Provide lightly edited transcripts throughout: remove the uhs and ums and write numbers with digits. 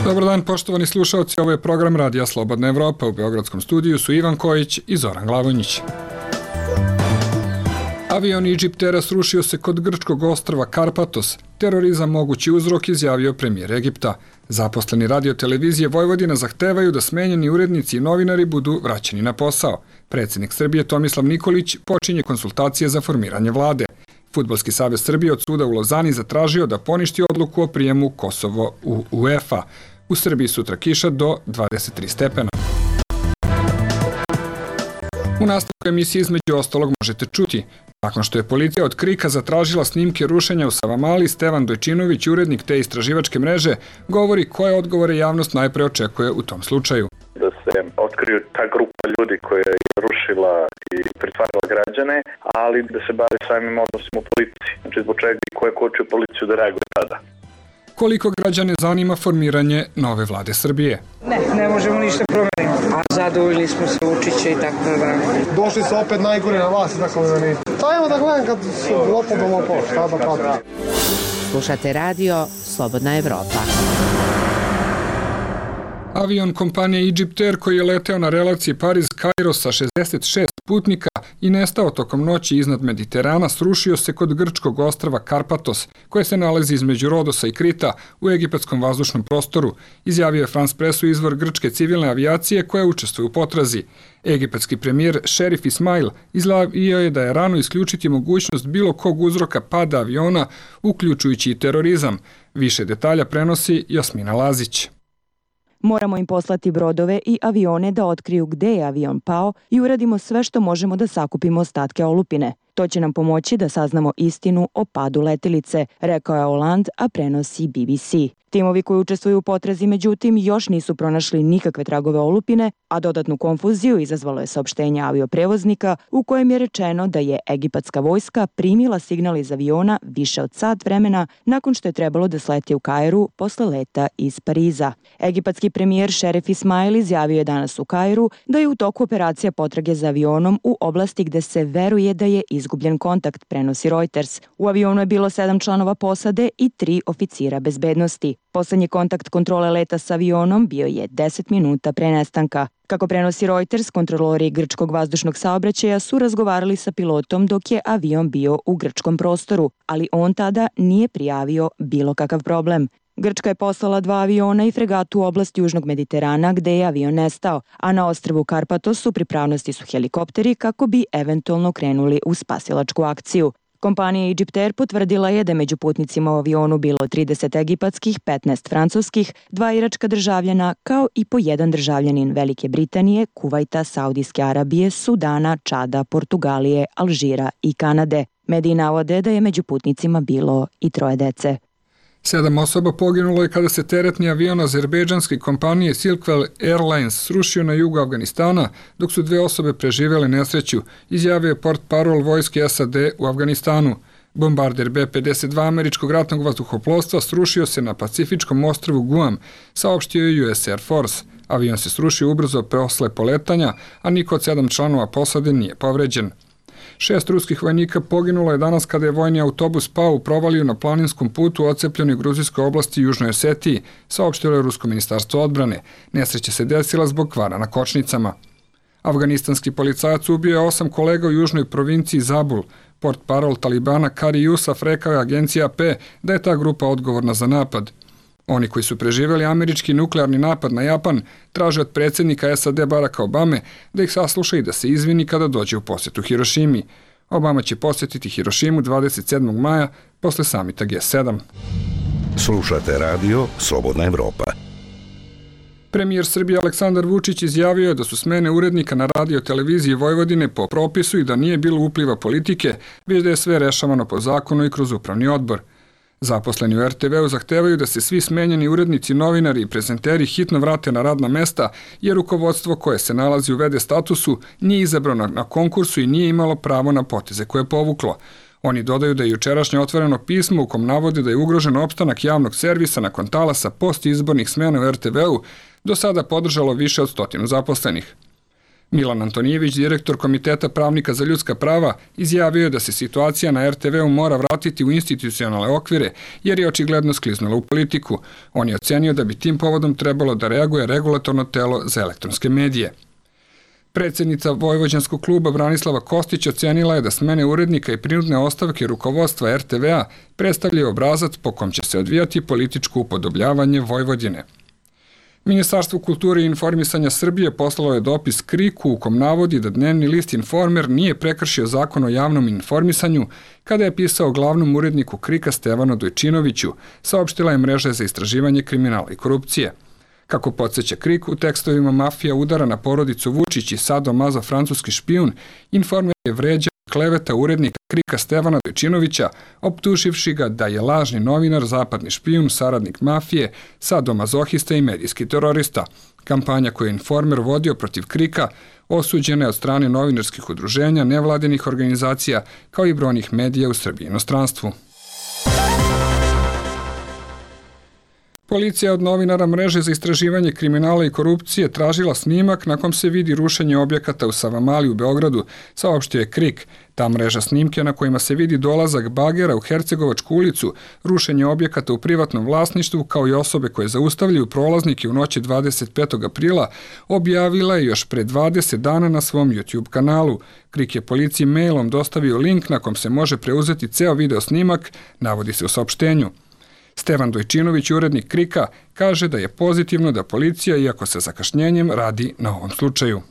Dobar dan, poštovani slušalci, ovo je program Radija Slobodna Evropa. U Beogradskom studiju su Ivan Kojić i Zoran Glavonjić. Avion Egyptera srušio se kod grčkog ostrva Karpatos. Terorizam mogući uzrok, izjavio premijer Egipta. Zaposleni radio-televizije Vojvodina zahtevaju da smenjeni urednici i novinari budu vraćeni na posao. Predsjednik Srbije Tomislav Nikolić počinje konsultacije za formiranje vlade. Fudbalski savez Srbije od suda u Lozani zatražio da poništi odluku o prijemu Kosovo u UEFA. U Srbiji sutra kiša do 23 stepena. U nastavku emisije između ostalog možete čuti. Nakon što je policija od Krika zatražila snimke rušenja u Savamali, Stevan Dojčinović, urednik te istraživačke mreže, govori koje odgovore javnost najpre očekuje u tom slučaju. Da se otkriju ta grupa ljudi koja je rušila i pritvarala građane, ali da se bavi samim odnosima u policiji. Znači zbog čega i ko je kočio policiju da reaguje tada. Koliko građane zanima formiranje nove vlade Srbije? Ne možemo ništa promeniti. A zadovoljili smo se Vučića i tako da. Došli su opet najgore na vas, tako da ne. Ajmo da gledam kad su lopom, šta da pratim. Slušate radio Slobodna Evropa. Avion kompanije Egypter koji je leteo na relaciji Pariz-Kairo sa 66 putnika i nestao tokom noći iznad Mediterana srušio se kod grčkog ostrva Karpatos, koje se nalazi između Rodosa i Krita u egipatskom vazdušnom prostoru, izjavio je France Pressu izvor grčke civilne avijacije koja učestvuje u potrazi. Egipatski premijer Šerif Ismail izjavio je da je rano isključiti mogućnost bilo kog uzroka pada aviona, uključujući i terorizam. Više detalja prenosi Jasmina Lazić. Moramo im poslati brodove i avione da otkriju gde je avion pao i uradimo sve što možemo da sakupimo ostatke olupine. To će nam pomoći da saznamo istinu o padu letelice, rekao je Hollande, a prenosi BBC. Timovi koji učestvuju u potrazi, međutim, još nisu pronašli nikakve tragove olupine, a dodatnu konfuziju izazvalo je saopštenje avioprevoznika u kojem je rečeno da je egipatska vojska primila signal iz aviona više od sat vremena nakon što je trebalo da sleti u Kairu posle leta iz Pariza. Egipatski premijer Šerif Ismail izjavio je danas u Kairu da je u toku operacija potrage za avionom u oblasti gde se veruje da je izgubljen kontakt, prenosi Reuters. U avionu je bilo 7 članova posade i 3 oficira bezbednosti. Poslednji kontakt kontrole leta sa avionom bio je 10 minuta pre nestanka. Kako prenosi Reuters, kontrolori grčkog vazdušnog saobraćaja su razgovarali sa pilotom dok je avion bio u grčkom prostoru, ali on tada nije prijavio bilo kakav problem. Grčka je poslala 2 aviona i fregatu u oblasti Južnog Mediterana gde je avion nestao, a na ostrvu Karpatos u pripravnosti su helikopteri kako bi eventualno krenuli u spasilačku akciju. Kompanija Egypter potvrdila je da je među putnicima u avionu bilo 30 egipatskih, 15 francuskih, 2 iračka državljana, kao i po 1 državljanin Velike Britanije, Kuvajta, Saudijske Arabije, Sudana, Čada, Portugalije, Alžira i Kanade. Mediji navode da je među putnicima bilo i 3 dece. 7 osoba poginulo je kada se teretni avion azerbejdžanske kompanije Silkwell Airlines srušio na jugu Afganistana, dok su 2 osobe preživjele nesreću, izjavio je portparol vojske SAD u Afganistanu. Bombarder B-52 američkog ratnog vazduhoplovstva srušio se na pacifičkom ostrvu Guam, saopštio je US Air Force. Avion se srušio ubrzo posle poletanja, a niko od 7 članova posade nije povređen. 6 ruskih vojnika poginulo je danas kada je vojni autobus pao u provaliju na planinskom putu u ocepljenoj gruzijskoj oblasti Južnoj Osetiji, saopštilo je Rusko ministarstvo odbrane. Nesreća se desila zbog kvara na kočnicama. Afganistanski policajac ubio je 8 kolega u južnoj provinciji Zabul. Portparol Talibana Kari Jusaf rekao je agenciji AP da je ta grupa odgovorna za napad. Oni koji su preživjeli američki nuklearni napad na Japan traže od predsjednika SAD Baracka Obame da ih sasluša i da se izvini kada dođe u posjetu Hirošimi. Obama će posjetiti Hirošimu 27. maja posle samita G7. Slušate radio Slobodna Evropa. Premijer Srbije Aleksandar Vučić izjavio je da su smene urednika na radio-televiziji Vojvodine po propisu i da nije bilo upliva politike, već da je sve rešavano po zakonu i kroz upravni odbor. Zaposleni u RTV-u zahtevaju da se svi smenjeni urednici, novinari i prezenteri hitno vrate na radna mesta, jer rukovodstvo koje se nalazi u VD statusu nije izabrano na konkursu i nije imalo pravo na poteze koje je povuklo. Oni dodaju da je jučerašnje otvoreno pismo u kom navode da je ugrožen opstanak javnog servisa nakon talasa postizbornih smjena u RTV-u do sada podržalo više od 100 zaposlenih. Milan Antonijević, direktor Komiteta pravnika za ljudska prava, izjavio je da se situacija na RTV-u mora vratiti u institucionalne okvire jer je očigledno skliznula u politiku. On je ocenio da bi tim povodom trebalo da reaguje regulatorno telo za elektronske medije. Predsjednica Vojvođanskog kluba Branislava Kostić ocenila je da smene urednika i prinudne ostavke rukovodstva RTV-a predstavljaju obrazac po kom će se odvijati političko upodobljavanje Vojvodine. Ministarstvo kulture i informisanja Srbije poslalo je dopis KRIK-u u kom navodi da dnevni list Informer nije prekršio zakon o javnom informisanju kada je pisao glavnom uredniku KRIK-a Stevanu Dojčinoviću, saopštila je mreža za istraživanje kriminala i korupcije. Kako podsjeća KRIK, u tekstovima mafija udara na porodicu Vučić i Sado Mazo francuski špijun, Informer je vređao kleveta urednika KRIK-a Stevana Dojčinovića, optuživši ga da je lažni novinar, zapadni špijun, saradnik mafije, sadomazohista i medijski terorista. Kampanja koju je Informer vodio protiv KRIK-a osuđena je od strane novinarskih udruženja, nevladinih organizacija, kao i brojnih medija u Srbiji i inostranstvu. Policija od novinara mreže za istraživanje kriminala i korupcije tražila snimak na kom se vidi rušenje objekata u Savamali u Beogradu, saopštio je KRIK. Ta mreža snimke na kojima se vidi dolazak bagera u Hercegovačku ulicu, rušenje objekata u privatnom vlasništvu kao i osobe koje zaustavljaju prolaznike u noći 25. aprila objavila je još pre 20 dana na svom YouTube kanalu. KRIK je policiji mailom dostavio link na kom se može preuzeti ceo video snimak, navodi se u saopštenju. Stevan Dojčinović, urednik KRIK-a, kaže da je pozitivno da policija, iako sa zakašnjenjem, radi na ovom slučaju.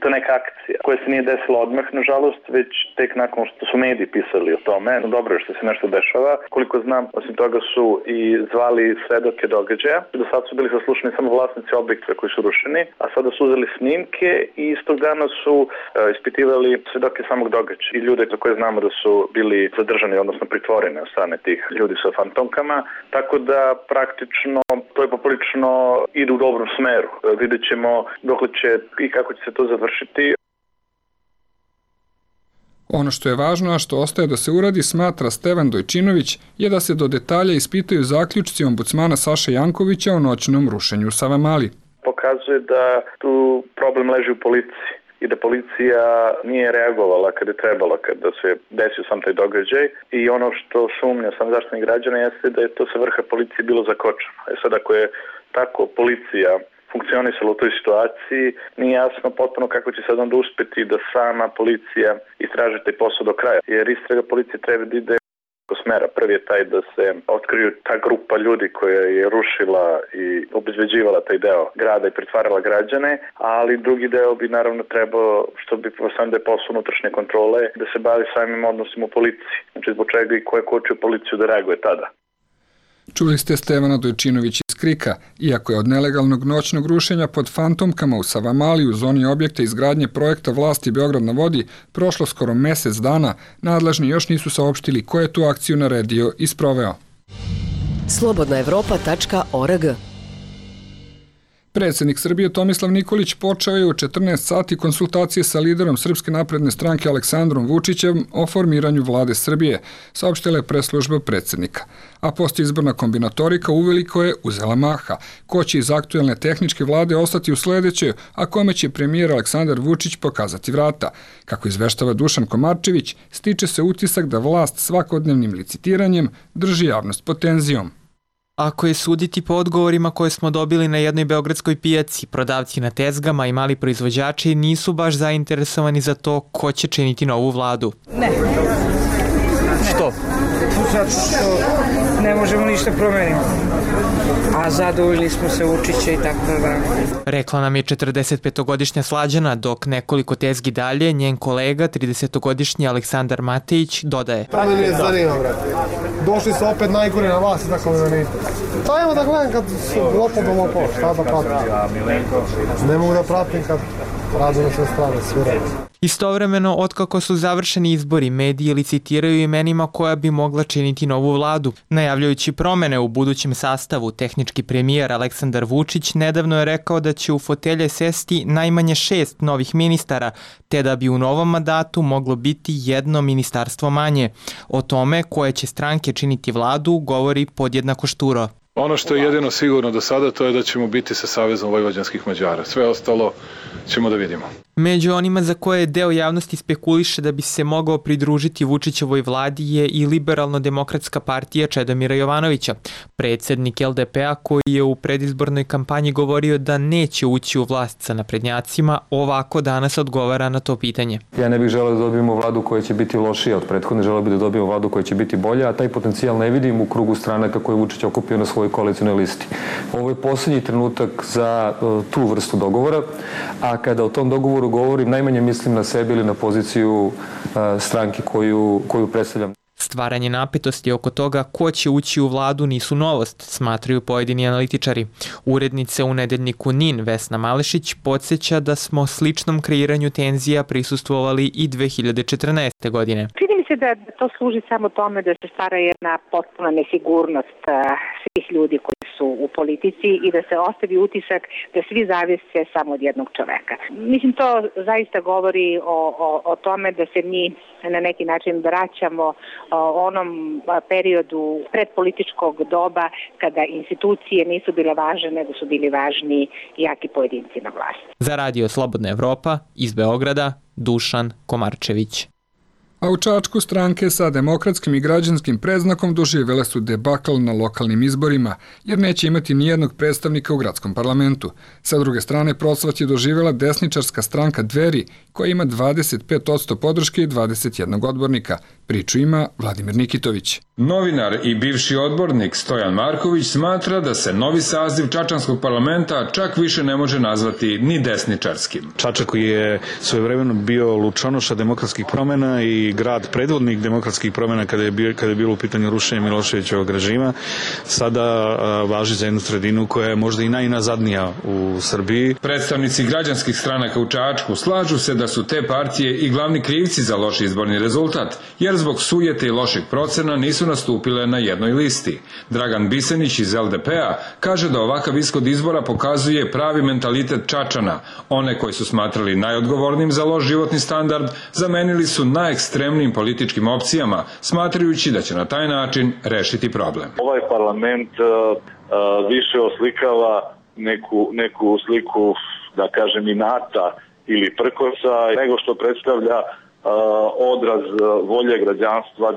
To je neka akcija koja se nije desila odmah, nažalost, već tek nakon što su mediji pisali o tome. Dobro je što se nešto dešava. Koliko znam, osim toga su i zvali svedoke događaja. Do sad su bili saslušani samo vlasnici objekta koji su rušeni, a sada su uzeli snimke i istog dana su ispitivali svedoke samog događaja. I ljude za koje znamo da su bili zadržani, odnosno pritvoreni od strane tih ljudi sa fantomkama. Tako da praktično to je poprilično ide u dobrom smeru. Vidjet ćemo dokle će i kako će se to završiti. Ono što je važno, a što ostaje da se uradi, smatra Stevan Dojčinović, je da se do detalja ispitaju zaključci ombudsmana Saše Jankovića o noćnom rušenju u Savamali. Pokazuje da tu problem leži u policiji i da policija nije reagovala kada je trebala, kada se desio sam taj događaj. I ono što sumnja sam Zaštitnik građana jeste da je to sa vrha policije bilo zakočeno. Sad ako je tako policija funkcionisala u toj situaciji, nije jasno potpuno kako će sad onda uspeti da sama policija istraži taj posao do kraja. Jer istraga policije treba da ide u smera. Prvi je taj da se otkriju ta grupa ljudi koja je rušila i obezbeđivala taj deo grada i pretvarala građane, ali drugi deo bi naravno trebao, što bi sam da je posao unutrašnje kontrole, da se bavi samim odnosima u policiji. Znači zbog čega i ko je kočio policiju da reaguje tada. Čuli ste Stevana Dojčinovića iz KRIK-a. Iako je od nelegalnog noćnog rušenja pod fantomkama u Savamali u zoni objekta izgradnje projekta vlasti Beograd na vodi prošlo skoro mesec dana, nadležni još nisu saopštili ko je tu akciju naredio i sproveo. Slobodnaevropa.org. Predsjednik Srbije Tomislav Nikolić počeo je u 14 sati konsultacije sa liderom Srpske napredne stranke Aleksandrom Vučićem o formiranju vlade Srbije, saopštila je press-služba predsjednika. A postizborna kombinatorika uveliko je uzela maha. Ko će iz aktuelne tehničke vlade ostati u sledećoj, a kome će premijer Aleksandar Vučić pokazati vrata. Kako izveštava Dušan Komarčević, stiče se utisak da vlast svakodnevnim licitiranjem drži javnost pod tenzijom. Ako je suditi po odgovorima koje smo dobili na jednoj beogradskoj pijaci, prodavci na tezgama i mali proizvođači nisu baš zainteresovani za to ko će činiti novu vladu. Ne. Što? Zato što ne možemo ništa promeniti. A zadovoljili smo se Vučića i tako da. Rekla nam je 45-godišnja Slađana, dok nekoliko tezgi dalje njen kolega, 30-godišnji Aleksandar Matejić, dodaje. To me nije zanima, brate. Došli su opet najgore na vas i tako me zanima. To evo da gledam kad su lopov, šta da pratim. Ne mogu da pratim kad radu na sve strane, sve radi. Istovremeno, otkako su završeni izbori, mediji licitiraju imenima koja bi mogla činiti novu vladu. Najavljujući promene u budućem sastavu, tehnički premijer Aleksandar Vučić nedavno je rekao da će u fotelje sesti najmanje 6 novih ministara, te da bi u novom mandatu moglo biti jedno ministarstvo manje. O tome koje će stranke činiti vladu govori podjednako Šturo. Ono što je jedino sigurno do sada to je da ćemo biti sa Savezom vojvođanskih Mađara. Sve ostalo ćemo da vidimo. Među onima za koje deo javnosti spekuliše da bi se mogao pridružiti Vučićevoj vladi je i Liberalno-demokratska partija Čedomira Jovanovića, predsednik LDP-a koji je u predizbornoj kampanji govorio da neće ući u vlast sa naprednjacima, ovako danas odgovara na to pitanje. Ja ne bih želeo da dobijemo vladu koja će biti lošija od prethodne, želeo bih da dobijemo vladu koja će biti bolja, a taj potencijal ne vidim u krugu stranaka koje Vučić okupio na svojoj koalicionoj listi. Ovo je poslednji trenutak za tu vrstu dogovora, a kada o tom dogovoru govorim, najmanje mislim na sebe ili na poziciju stranke koju predstavljam. Stvaranje napetosti oko toga ko će ući u vladu nisu novost, smatraju pojedini analitičari. Urednica u nedeljniku NIN Vesna Malešić podsjeća da smo sličnom kreiranju tenzija prisustvovali i 2014. godine. Čini mi se da to služi samo tome da se stvara jedna potpuna nesigurnost svih ljudi koji su u politici i da se ostavi utisak da svi zavise samo od jednog čoveka. Mislim, to zaista govori o tome da se mi na neki način vraćamo onom periodu predpolitičkog doba kada institucije nisu bile važne, nego su bili važni jaki pojedinci na vlasti. Za Radio Slobodna Evropa iz Beograda, Dušan Komarčević. A u Čačku stranke sa demokratskim i građanskim predznakom doživjele su debakl na lokalnim izborima, jer neće imati nijednog predstavnika u gradskom parlamentu. Sa druge strane, procvat je doživjela desničarska stranka Dveri, koja ima 25% podrške i 21 odbornika. Priču ima Vladimir Nikitović. Novinar i bivši odbornik Stojan Marković smatra da se novi saziv Čačanskog parlamenta čak više ne može nazvati ni desničarskim. Čačak je svojevremeno bio lučonoša demokratskih promjena i grad predvodnik demokratskih promjena kada je bilo u pitanju rušenja Miloševićevog režima, sada važi za jednu sredinu koja je možda i najnazadnija u Srbiji. Predstavnici građanskih stranaka u Čačku slažu se da su te partije i glavni krivci za loš izborni rezultat, jer zbog sujete i lošeg procena nisu nastupile na jednoj listi. Dragan Bisenić iz LDP-a kaže da ovakav ishod izbora pokazuje pravi mentalitet Čačana. One koji su smatrali najodgovornijim za loš životni standard zamenili su najekstremnijim političkim opcijama, smatrajući da će na taj način rešiti problem. Ovaj parlament više oslikava neku sliku, da kažem, inata ili prkosa, nego što predstavlja odraz volje građanstva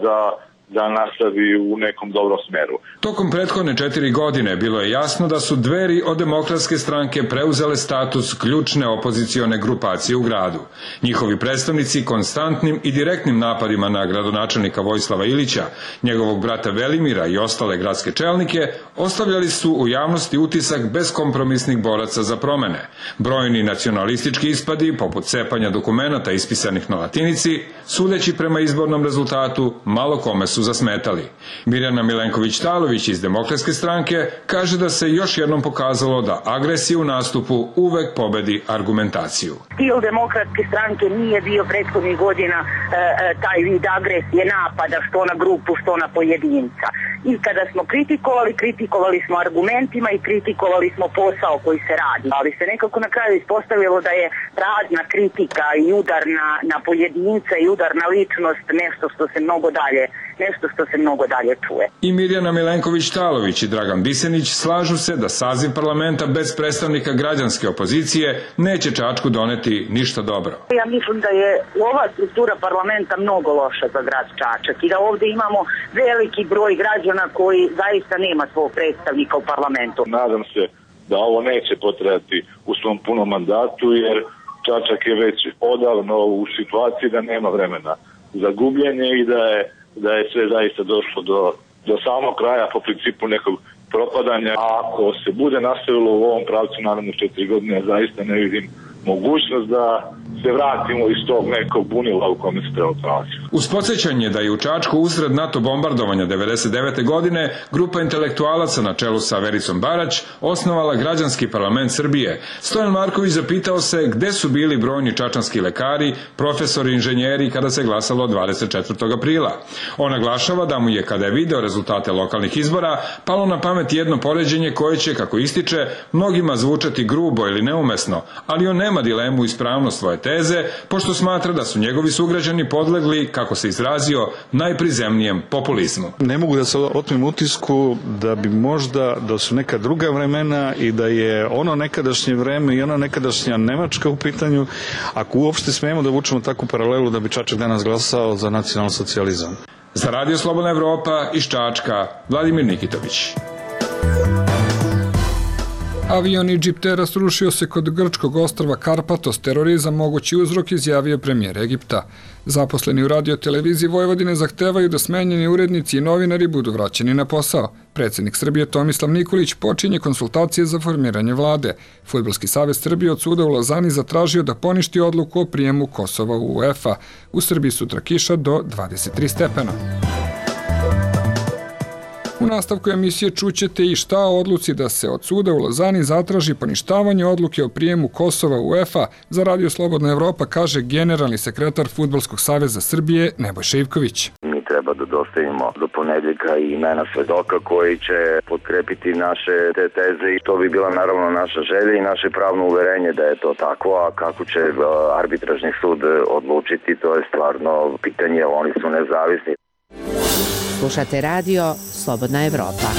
da nastavi u nekom dobrom smeru. Tokom prethodne 4 godine bilo je jasno da su Dveri od Demokratske stranke preuzele status ključne opozicione grupacije u gradu. Njihovi predstavnici konstantnim i direktnim napadima na gradonačelnika Vojislava Ilića, njegovog brata Velimira i ostale gradske čelnike ostavljali su u javnosti utisak beskompromisnih boraca za promene. Brojni nacionalistički ispadi, poput cepanja dokumenata ispisanih na latinici, sudeći prema izbornom rezultatu, malo kome su zasmetali. Mirjana Milenković-Talović iz Demokratske stranke kaže da se još jednom pokazalo da agresija u nastupu uvek pobedi argumentaciju. Stil Demokratske stranke nije bio prethodnih godina taj vid agresije, napada što na grupu, što na pojedinca. I kada smo kritikovali smo argumentima i kritikovali smo posao koji se radi. Ali se nekako na kraju ispostavilo da je prazna kritika i udar na pojedinca i udar na ličnost nešto što se mnogo dalje čuje. I Mirjana Milenković-Talović i Dragan Bisenić slažu se da saziv parlamenta bez predstavnika građanske opozicije neće Čačku doneti ništa dobro. Ja mislim da je ova struktura parlamenta mnogo loša za grad Čačak i da ovde imamo veliki broj građana koji zaista nema svog predstavnika u parlamentu. Nadam se da ovo neće potrajati u svom punom mandatu, jer Čačak je već odavno u situaciji da nema vremena za gubljenje i da je sve zaista došlo do samog kraja po principu nekog propadanja. A ako se bude nastavilo u ovom pravcu naravno 4 godine, zaista ne vidim mogućnost da se vratimo iz tog nekog bunila u kome se treba nalaziti. Uz podsjećanje da je u Čačku usred NATO bombardovanja 1999. godine grupa intelektualaca na čelu sa Vericom Barać osnovala Građanski parlament Srbije, Stojan Marković zapitao se gde su bili brojni čačanski lekari, profesori, inženjeri kada se glasalo 24. aprila. On naglašava da mu je, kada je video rezultate lokalnih izbora, palo na pamet jedno poređenje koje će, kako ističe, mnogima zvučati grubo ili neumesno, ali on nema dilemu ispravnost svoje teze, pošto smatra da su njegovi sugrađani podlegli, kako se izrazio, najprizemnijem populizmu. Ne mogu da se otmem utisku da bi možda, da su neka druga vremena i da je ono nekadašnje vreme i ona nekadašnja Nemačka u pitanju, ako uopšte smemo da vučemo takvu paralelu da bi Čačak danas glasao za nacionalni socijalizam. Za Radio Slobodna Evropa iz Čačka, Vladimir Nikitović. Avion Egyptera srušio se kod grčkog ostrva Karpatos, terorizam mogući uzrok, izjavio premijer Egipta. Zaposleni u radioteleviziji Vojvodine zahtevaju da smenjeni urednici i novinari budu vraćeni na posao. Predsjednik Srbije Tomislav Nikolić počinje konsultacije za formiranje vlade. Fudbalski savez Srbije od suda u Lozani zatražio da poništi odluku o prijemu Kosova u UEFA. U Srbiji sutra kiša do 23 stepena. U nastavku emisije čućete i šta o odluci da se od suda u Lozani zatraži poništavanje odluke o prijemu Kosova u UEFA. Za Radio Slobodna Evropa kaže generalni sekretar Fudbalskog saveza Srbije Nebojša Ivković. Mi treba da dostavimo do ponedjeljka i imena svedoka koji će potkrepiti naše te teze i to bi bila naravno naša želja i naše pravno uverenje da je to tako, a kako će arbitražni sud odlučiti, to je stvarno pitanje, oni su nezavisni. Slušate radio Slobodna Evropa.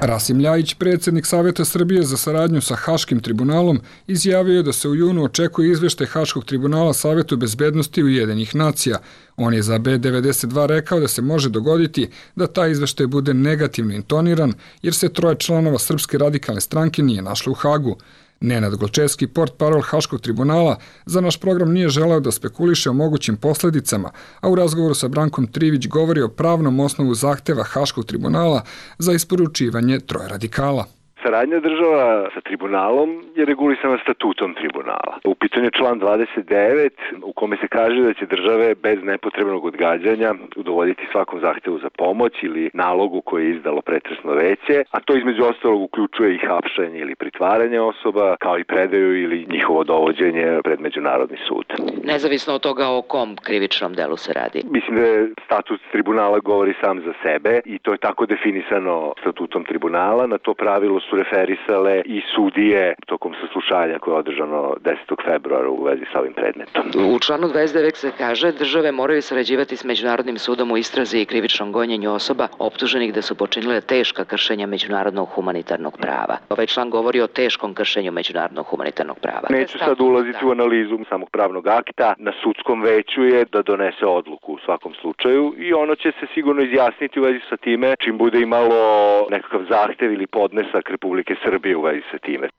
Rasim Ljajić, predsjednik Saveta Srbije za saradnju sa Haškim tribunalom, izjavio je da se u junu očekuje izveštaj Haškog tribunala Savetu bezbednosti Ujedinjenih nacija. On je za B92 rekao da se može dogoditi da taj izveštaj bude negativno intoniran, jer se 3 članova Srpske radikalne stranke nije našlo u Hagu. Nenad Gločevski, portparol Haškog tribunala, za naš program nije želeo da spekuliše o mogućim posledicama, a u razgovoru sa Brankom Trivić govori o pravnom osnovu zahteva Haškog tribunala za isporučivanje 3 radikala. Saradnja država sa tribunalom je regulisana statutom tribunala. U pitanju je član 29 u kome se kaže da će države bez nepotrebnog odgađanja udovoljiti svakom zahtevu za pomoć ili nalogu koje je izdalo pretresno veće, a to između ostalog uključuje i hapšenje ili pritvaranje osoba, kao i predaju ili njihovo dovođenje pred Međunarodni sud. Nezavisno od toga o kom krivičnom delu se radi? Mislim da je statut tribunala govori sam za sebe i to je tako definisano statutom tribunala. Na to pravilo su referisale i sudije tokom saslušanja koje je održano 10. februara u vezi sa ovim predmetom. U članu 29 se kaže države moraju sarađivati s Međunarodnim sudom u istrazi i krivičnom gonjenju osoba optuženih da su počinile teška kršenja međunarodnog humanitarnog prava. Ovaj član govori o teškom kršenju međunarodnog humanitarnog prava. Neću sad ulaziti u analizu samog pravnog akta. Na sudskom veću je da donese odluku u svakom slučaju i ono će se sigurno izjasniti u vezi sa time čim bude imalo nekakav zahtev ili podnesak Republike Srbije u vezi sa time.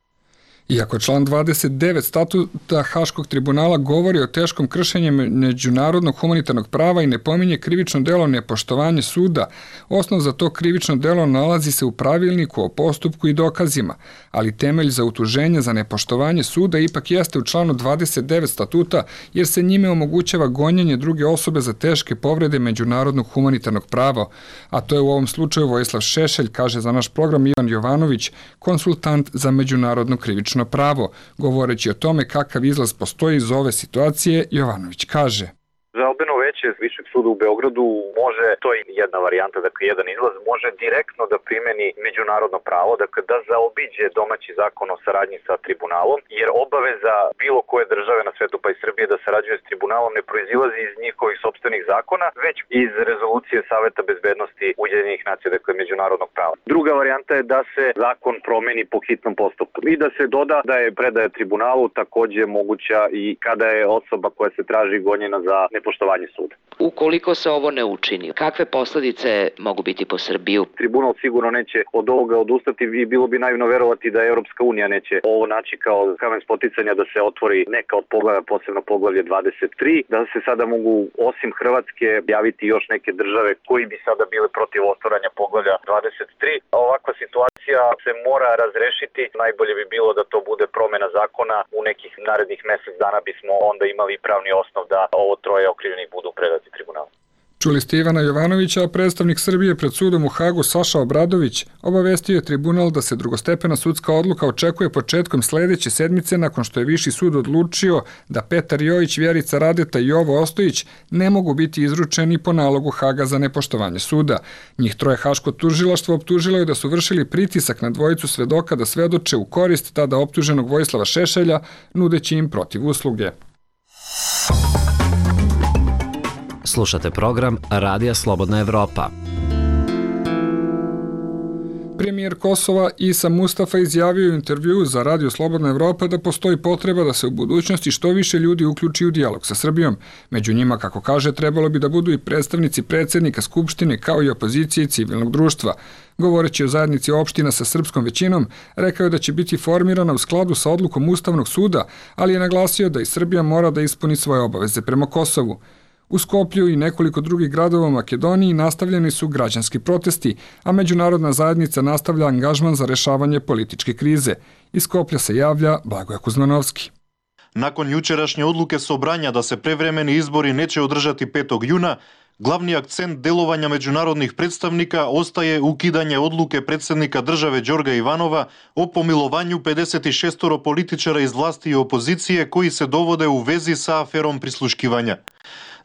Iako član 29 statuta Haškog tribunala govori o teškom kršenju međunarodnog humanitarnog prava i ne pominje krivično delo nepoštovanje suda, osnov za to krivično delo nalazi se u pravilniku o postupku i dokazima, ali temelj za utuženje za nepoštovanje suda ipak jeste u članu 29 statuta, jer se njime omogućava gonjenje druge osobe za teške povrede međunarodnog humanitarnog prava, a to je u ovom slučaju Vojislav Šešelj, kaže za naš program Ivan Jovanović, konsultant za međunarodno krivično pravo. Govoreći o tome kakav izlaz postoji iz ove situacije, Jovanović kaže: Žalbeno veće Višeg suda u Beogradu može, to je jedna varijanta, dakle jedan izlaz, može direktno da primeni međunarodno pravo, dakle da zaobiđe domaći zakon o saradnji sa tribunalom, jer obaveza bilo koje države na svetu pa i Srbije da sarađuje s tribunalom ne proizilazi iz njihovih sopstvenih zakona, već iz rezolucije Saveta bezbednosti Ujedinjenih nacija, dakle međunarodnog prava. Druga varijanta je da se zakon promeni po hitnom postupku i da se doda da je predaja tribunalu takođe moguća i kada je osoba koja se traži gonjena za nepoštovanje suda. Ukoliko se ovo ne učini, kakve posledice mogu biti po Srbiju? Tribunal sigurno neće od ovoga odustati i bilo bi naivno verovati da Europska unija neće ovo naći kao kamen spoticanja da se otvori neka od poglavlja, posebno poglavlje 23, da se sada mogu osim Hrvatske javiti još neke države koji bi sada bile protiv otvaranja poglavlja 23. Ovakva situacija se mora razrešiti. Najbolje bi bilo da to bude promena zakona. U nekih narednih mesec dana bismo onda imali pravni osnov da ovo 3 okrivljenih budu predati tribunalu. Čuli ste Ivana Jovanovića, a predstavnik Srbije pred sudom u Hagu Saša Obradović obavestio je tribunal da se drugostepena sudska odluka očekuje početkom sledeće sedmice nakon što je Viši sud odlučio da Petar Jojić, Vjerica Radeta i Jovo Ostojić ne mogu biti izručeni po nalogu Haga za nepoštovanje suda. Njih troje Haško tužilaštvo optužilo je da su vršili pritisak na dvojicu svedoka da svedoče u korist tada optuženog Vojislava Šešelja, nudeći im protiv usluge. Slušate program Radija Slobodna Evropa. Premijer Kosova Isa Mustafa izjavio u intervjuu za Radio Slobodna Evropa da postoji potreba da se u budućnosti što više ljudi uključi u dijalog sa Srbijom. Među njima, kako kaže, trebalo bi da budu i predstavnici predsjednika Skupštine kao i opozicije i civilnog društva. Govoreći o zajednici opština sa srpskom većinom, rekao je da će biti formirana u skladu sa odlukom Ustavnog suda, ali je naglasio da i Srbija mora da ispuni svoje obaveze prema Kosovu. U Skoplju i nekoliko drugih gradova u Makedoniji nastavljeni su građanski protesti, a međunarodna zajednica nastavlja angažman za rešavanje političke krize. Iz Skoplja se javlja Blagoje Kuzmanovski. Nakon jučerašnje odluke Sobranja da se prevremeni izbori neće održati 5. juna, glavni akcent delovanja međunarodnih predstavnika ostaje ukidanje odluke predsjednika države Đorga Ivanova o pomilovanju 56 političara iz vlasti i opozicije koji se dovode u vezi sa aferom prisluškivanja.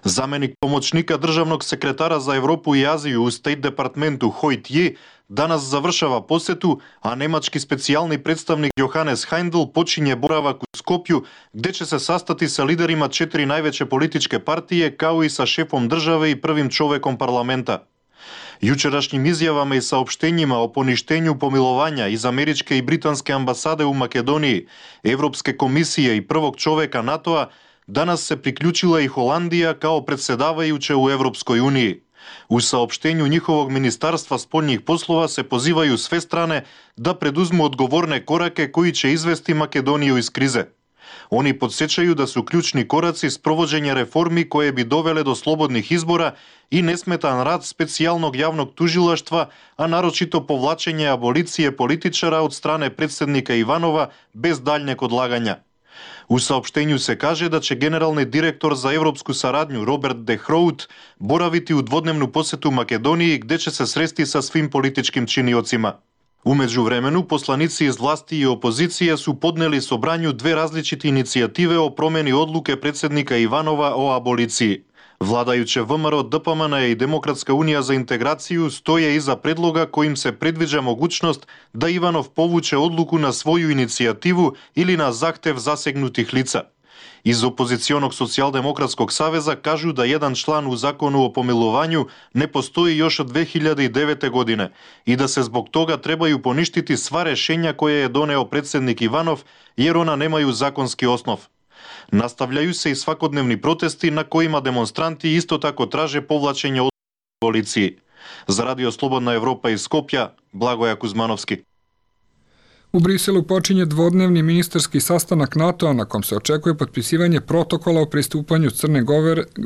Zamenik pomoćnika državnog sekretara za Evropu i Aziju u State Departmentu Hoyt Ye danas završava posetu, a nemački specijalni predstavnik Johannes Heindl počinje boravak u Skopju, gde će se sastati sa liderima 4 najveće političke partije, kao i sa šefom države i prvim čovekom parlamenta. Jučerašnjim izjavama i saopštenjima o poništenju pomilovanja iz američke i britanske ambasade u Makedoniji, Evropske komisije i prvog čoveka NATO-a, danas se priključila i Holandija kao predsjedavajuća u Evropskoj uniji. U saopštenju njihovog ministarstva spoljnih poslova se pozivaju sve strane da preduzmu odgovorne korake koji će izvesti Makedoniju iz krize. Oni podsjećaju da su ključni koraci sprovođenja reformi koje bi dovele do slobodnih izbora i nesmetan rad specijalnog javnog tužilaštva, a naročito povlačenje abolicije političara od strane predsjednika Ivanova bez daljnjeg odlaganja. U saopštenju se kaže da će generalni direktor za evropsku saradnju Robert de Hrout boraviti u dvodnevnu posetu Makedoniji gde će se sresti sa svim političkim činiocima. U međuvremenu, poslanici iz vlasti i opozicije su podneli Sobranju 2 različite inicijative o promjeni odluke predsjednika Ivanova o aboliciji. Vladajuće VMRO, DPMN i Demokratska unija za integraciju stoje iza predloga kojim se predviđa mogućnost da Ivanov povuče odluku na svoju inicijativu ili na zahtev zasegnutih lica. Iz opozicionog socijaldemokratskog saveza kažu da jedan član u zakonu o pomilovanju ne postoji još od 2009. godine i da se zbog toga trebaju poništiti sva rešenja koje je doneo predsjednik Ivanov jer ona nemaju zakonski osnov. Nastavljaju se i svakodnevni protesti na kojima demonstranti isto tako traže povlačenje od policiji. Za Radio Slobodna Evropa iz Skopja, Blagoje Kuzmanovski. U Briselu počinje dvodnevni ministarski sastanak NATO-a na kom se očekuje potpisivanje protokola o pristupanju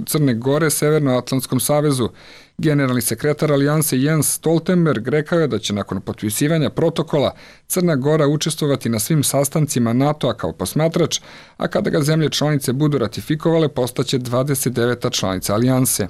Crne Gore Severnoatlantskom savezu. Generalni sekretar alijanse Jens Stoltenberg rekao je da će nakon potpisivanja protokola Crna Gora učestvovati na svim sastancima NATO-a kao posmatrač, a kada ga zemlje članice budu ratifikovale postaće 29. članica alijanse.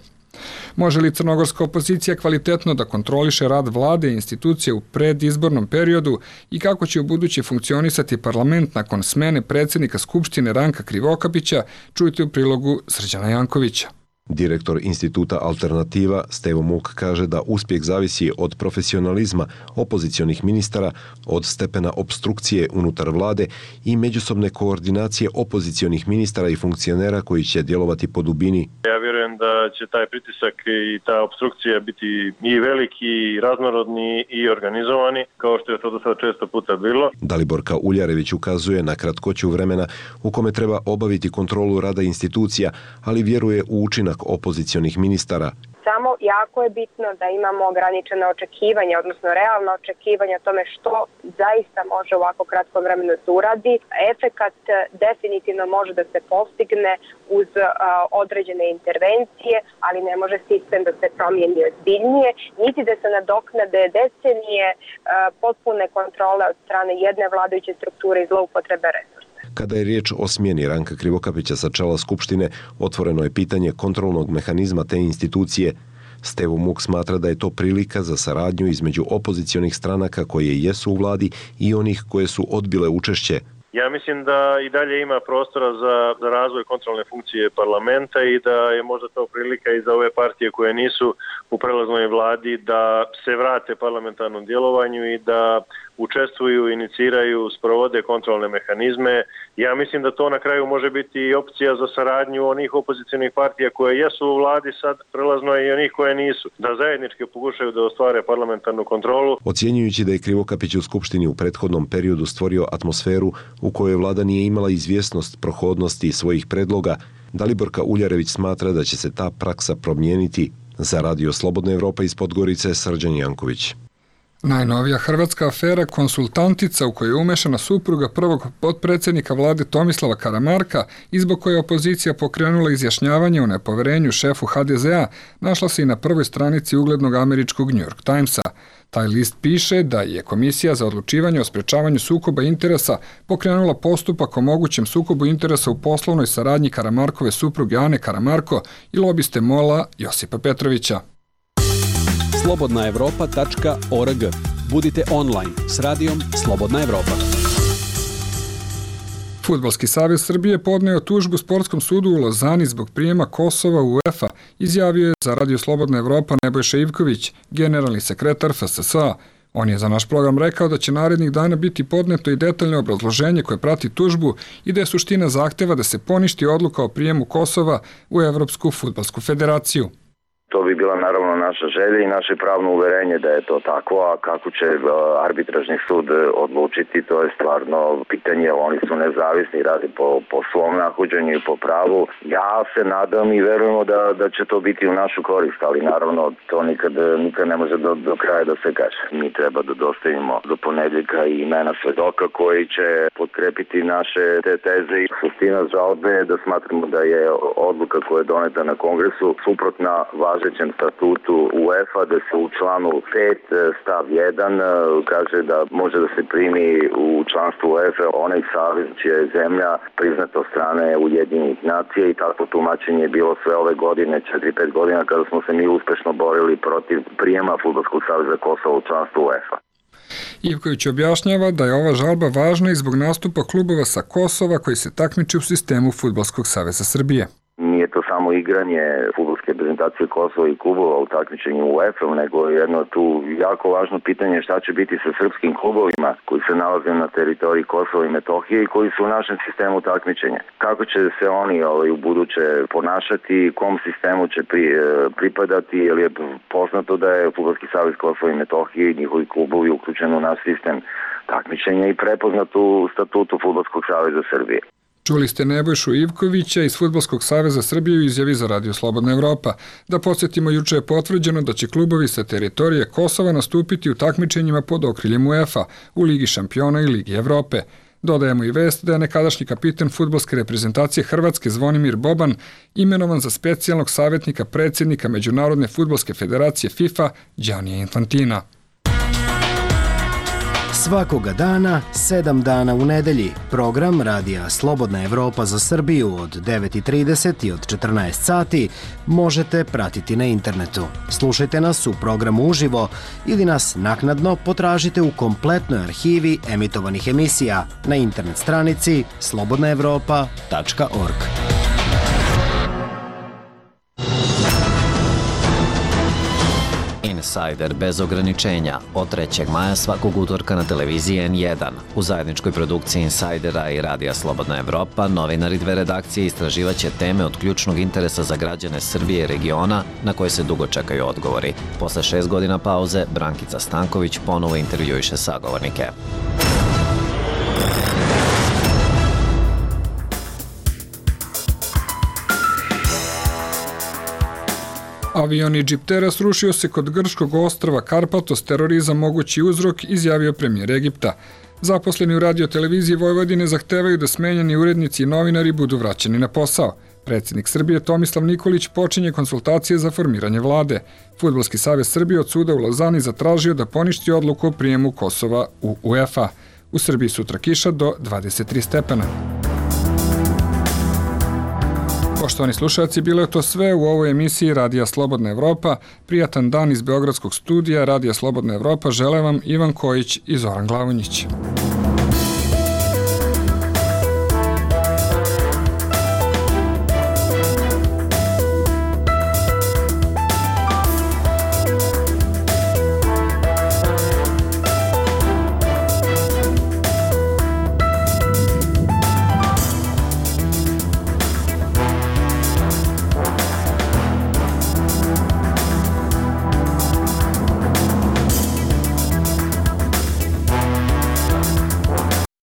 Može li crnogorska opozicija kvalitetno da kontroliše rad vlade i institucije u predizbornom periodu i kako će u buduće funkcionisati parlament nakon smene predsjednika Skupštine Ranka Krivokapića, čujte u prilogu Srđana Jankovića. Direktor instituta Alternativa Stevo Muk kaže da uspjeh zavisi od profesionalizma opozicionih ministara, od stepena obstrukcije unutar vlade i međusobne koordinacije opozicionih ministara i funkcionera koji će djelovati po dubini. Ja vjerujem da će taj pritisak i ta obstrukcija biti i veliki, i raznorodni, i organizovani, kao što je to do sada često puta bilo. Daliborka Uljarević ukazuje na kratkoću vremena u kome treba obaviti kontrolu rada institucija, ali vjeruje u učinak opozicionih ministara. Samo jako je bitno da imamo ograničena očekivanja, odnosno realna očekivanja o tome što zaista može u ovako kratkom vremenu se uradi. Efekat definitivno može da se postigne uz određene intervencije, ali ne može sistem da se promijeni ozbiljnije, niti da se nadoknade decenije potpune kontrole od strane jedne vladajuće strukture i zloupotrebe resursa. Kada je riječ o smjeni Ranka Krivokapića sa čela Skupštine, otvoreno je pitanje kontrolnog mehanizma te institucije. Stevo Muk smatra da je to prilika za saradnju između opozicionih stranaka koje jesu u vladi i onih koje su odbile učešće. Ja mislim da i dalje ima prostora za razvoj kontrolne funkcije parlamenta i da je možda to prilika i za ove partije koje nisu u prelaznoj vladi da se vrate parlamentarnom djelovanju i da učestvuju, iniciraju, sprovode kontrolne mehanizme. Ja mislim da to na kraju može biti i opcija za saradnju onih opozicionih partija koje jesu u vladi sad prelazno i onih koje nisu. Da zajednički pokušaju da ostvare parlamentarnu kontrolu. Ocjenjujući da je Krivokapić u Skupštini u prethodnom periodu stvorio atmosferu u kojoj vlada nije imala izvjesnost prohodnosti svojih predloga, Daliborka Uljarević smatra da će se ta praksa promijeniti. Za Radio Slobodna Evropa iz Podgorice, Srđan Janković. Najnovija hrvatska afera Konsultantica u kojoj je umešana supruga prvog potpredsjednika vlade Tomislava Karamarka i zbog koje je opozicija pokrenula izjašnjavanje o nepoverenju šefu HDZ-a našla se i na prvoj stranici uglednog američkog New York Timesa. Taj list piše da je Komisija za odlučivanje o sprečavanju sukoba interesa pokrenula postupak o mogućem sukobu interesa u poslovnoj saradnji Karamarkove supruge Ane Karamarko i lobiste MOL-a Josipa Petrovića. slobodnaevropa.org. Budite online s radijom Slobodna Evropa. Fudbalski savez Srbije podneo tužbu Sportskom sudu u Lozani zbog prijema Kosova u UEFA, izjavio je za Radio Slobodna Evropa Nebojša Ivković, generalni sekretar FSSA. On je za naš program rekao da će narednih dana biti podneto i detaljno obrazloženje koje prati tužbu i da je suština zahteva da se poništi odluka o prijemu Kosova u Evropsku fudbalsku federaciju. To bi bila naravno naša želja i naše pravno uverenje da je to tako, a kako će arbitražni sud odlučiti, to je stvarno pitanje, oni su nezavisni, radi po svom nahođenju i po pravu. Ja se nadam i verujemo da će to biti u našu korist, ali naravno to nikad ne može do kraja da se kaže. Mi treba da dostavimo do ponedjeljka i imena svedoka koji će potkrepiti naše te teze i suština žalbe je da smatramo da je odluka koja je doneta na kongresu suprotna važećem statutu UEFA, da se u članu 5 stav 1 kaže da može da se primi u članstvo UEFA onaj savez čija je zemlja priznata od strane Ujedinjenih nacija i tako tumačenje je bilo sve ove godine, 4-5 godina kada smo se mi uspešno borili protiv prijema Fudbalskog saveza Kosova u članstvo UEFA. Ivković objašnjava da je ova žalba važna i zbog nastupa klubova sa Kosova koji se takmiče u sistemu Fudbalskog saveza Srbije. Nije to samo igranje fudbalske reprezentacije Kosova i klubova u takmičenju u UEFA, nego je jedno tu jako važno pitanje šta će biti sa srpskim klubovima koji se nalaze na teritoriji Kosova i Metohije i koji su u našem sistemu takmičenja. Kako će se oni u buduće ponašati, kom sistemu će pripadati, jer je poznato da je Fudbalski savez Kosova i Metohije i njihovi klubovi uključeni u naš sistem takmičenja i prepoznat u statutu Fudbalskog saveza Srbije. Čuli ste Nebojšu Ivkovića iz Fudbalskog saveza Srbije u izjavi za Radio Slobodna Evropa. Da podsjetimo, juče je potvrđeno da će klubovi sa teritorije Kosova nastupiti u takmičenjima pod okriljem UEFA u Ligi šampiona i Ligi Evrope. Dodajemo i vest da je nekadašnji kapitan fudbalske reprezentacije Hrvatske Zvonimir Boban imenovan za specijalnog savjetnika predsjednika Međunarodne fudbalske federacije FIFA Giannija Infantina. Svakoga dana, 7 dana u nedelji, program Radija Slobodna Evropa za Srbiju od 9:30 i od 14 sati možete pratiti na internetu. Slušajte nas u programu uživo ili nas naknadno potražite u kompletnoj arhivi emitovanih emisija na internet stranici slobodnaevropa.org. Insider bez ograničenja od 3. maja svakog utorka na televiziji N1. U zajedničkoj produkciji Insidera i Radija Slobodna Evropa novinari dve redakcije istraživaće teme od ključnog interesa za građane Srbije i regiona na koje se dugo čekaju odgovori. Posle 6 godina pauze, Brankica Stanković ponovo intervjuiše sagovornike. Avion Egyptera srušio se kod grčkog ostrva Karpatos, terorizam mogući uzrok, izjavio premijer Egipta. Zaposleni u radioteleviziji Vojvodine zahtevaju da smenjeni urednici i novinari budu vraćeni na posao. Predsjednik Srbije Tomislav Nikolić počinje konsultacije za formiranje vlade. Fudbalski savez Srbije od suda u Lozani zatražio da poništi odluku o prijemu Kosova u UEFA. U Srbiji sutra kiša do 23 stepena. Poštovani slušalci, bilo je to sve u ovoj emisiji Radija Slobodna Evropa. Prijatan dan iz Beogradskog studija Radija Slobodna Evropa žele vam Ivan Kojić i Zoran Glavonjić.